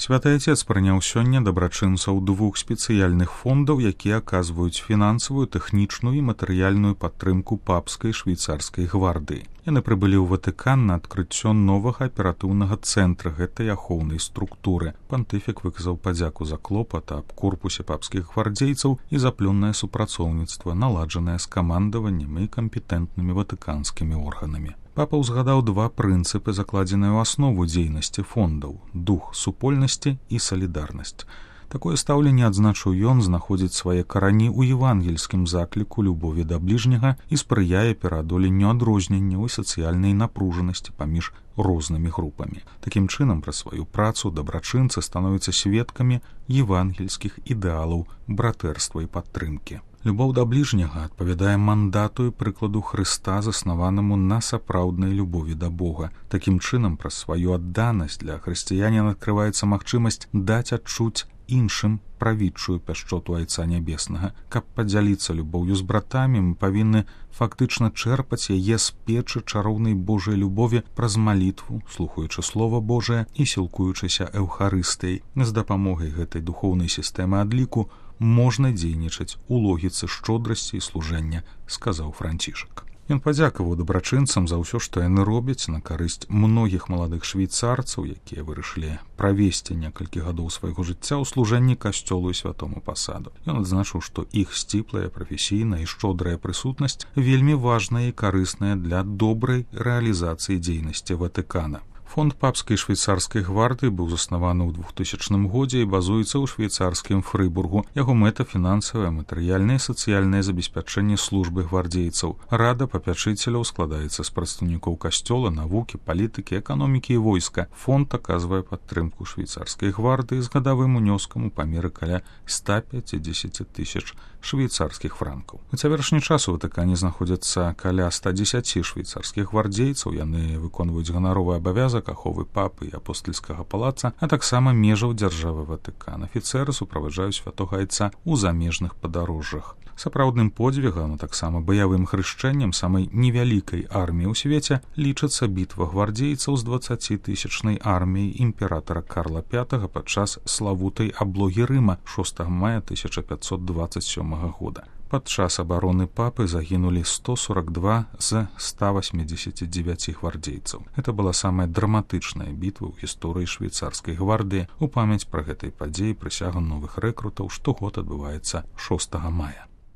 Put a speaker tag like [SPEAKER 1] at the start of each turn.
[SPEAKER 1] Святы Отец прыняў сёння дабрачынцаў двух спецыяльных фондаў, якія аказваюць фінансавую, тэхнічную і матэрыяльную падтрымку папскай швейцарскай гвардыі. Яны прыбылі ў Ватыкан на адкрыццё новага аператыўнага цэнтра гэтай ахоўнай структуры. Пантыфік выказаў падзяку за клопат аб корпусе папскіх гвардзейцаў і за плённае супрацоўніцтва, наладжанае з камандаваннем і кампетэнтнымі ватыканскімі органамі. Папа ўзгадаў два прынцыпы, закладзеныя ў аснову дзейнасці фондаў – дух супольнасці і салідарнасць. Такое стаўленне, адзначыў ён, знаходзіць свае карані ў евангельскім закліку любові да бліжняга і спрыяе пераадоленню адрозненняў і сацыяльнай напружанасці паміж рознымі групамі. Такім чынам, праз сваю працу дабрачынцы становяцца сведкамі евангельскіх ідэалаў братэрства і падтрымкі. Любоў да бліжняга адпавядае мандату і прыкладу Хрыста, заснаванаму на сапраўднай любові да Бога. Такім чынам, праз сваю адданасць для хрысціяніна адкрываецца магчымасць даць адчуць іншым правідчую пяшчоту Айца Нябеснага. Каб падзяліцца любоўю з братамі, мы павінны фактычна чэрпаць яе з печы чароўнай Божай любові праз малітву, слухаючы Слова Божае і сілкуючыся Эўхарыстыяй. З дапамогай гэтай духоўнай сістэмы адліку можна дзейнічаць у логіцы шчодрасці і служэння, сказаў Францішак. Ён падзякаваў дабрачынцам за ўсё, што яны робяць на карысць многіх маладых швейцарцаў, якія вырашылі правесці некалькі гадоў свайго жыцця ў служэнні касцёлу і святому пасаду. Ён адзначыў, што іх сціплая, прафесійная і шчодрая прысутнасць вельмі важная і карысная для добрай рэалізацыі дзейнасці Ватыкана. Фонд папскай швейцарскай гвардыі быў заснаваны ў 2000 годзе і базуецца ў швейцарскім Фрыбургу. Яго мэта – фінансавае, матэрыяльнае і сацыяльнае забеспячэнне службы гвардзейцаў. Рада папячыцеляў складаецца з прадстаўнікоў касцёла, навукі, палітыкі, эканомікі і войска. Фонд аказвае падтрымку швейцарскай гвардыі з гадавым унёскам у памеры каля 150 тысяч швейцарскіх франкаў. На цяперашні час у Ватыкане знаходзяцца каля 110 швейцарскіх гвардзейцаў. Яны выконваюць ганаровы абавязак аховы папы і апостальскага палаца, а таксама межаў дзяржавы Ватыкан. Афіцэры суправаджаюць святога Айца ў замежных падарожжах. Сапраўдным подзвігам, а таксама баявым хрышчэннем самай невялікай арміі ў свеце лічыцца бітва гвардзейцаў з 20-тысячнай арміяй імператара Карла V падчас славутай аблогі Рыма 6 мая 1527 года. Падчас абароны папы загінулі 142 з 189 гвардзейцаў. Гэта была самая драматычная бітва ў гісторыі швейцарскай гвардыі. У памяць пра гэтай падзеі прысяга новых рэкрутаў штогод адбываецца 6 мая.